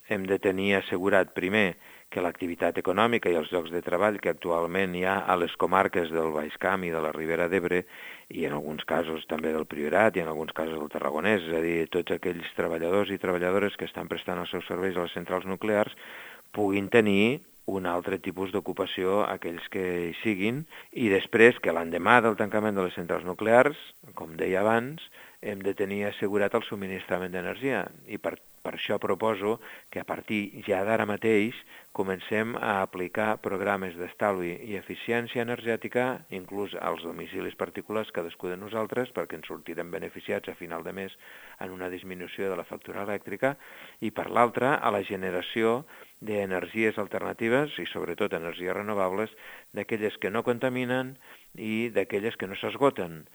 hem de tenir assegurat primer que l'activitat econòmica i els llocs de treball que actualment hi ha a les comarques del Baix Camp i de la Ribera d'Ebre, i en alguns casos també del Priorat i en alguns casos del Tarragonès, és a dir, tots aquells treballadors i treballadores que estan prestant els seus serveis a les centrals nuclears puguin tenir un altre tipus d'ocupació, aquells que hi siguin, i després que l'endemà del tancament de les centrals nuclears, com deia abans, hem de tenir assegurat el subministrament d'energia. I per això proposo que a partir ja d'ara mateix comencem a aplicar programes d'estalvi i eficiència energètica, inclús als domicilis particulars, cadascú de nosaltres, perquè ens sortirem beneficiats a final de mes en una disminució de la factura elèctrica, i per l'altra, a la generació d'energies alternatives i sobretot energies renovables, d'aquelles que no contaminen i d'aquelles que no s'esgoten.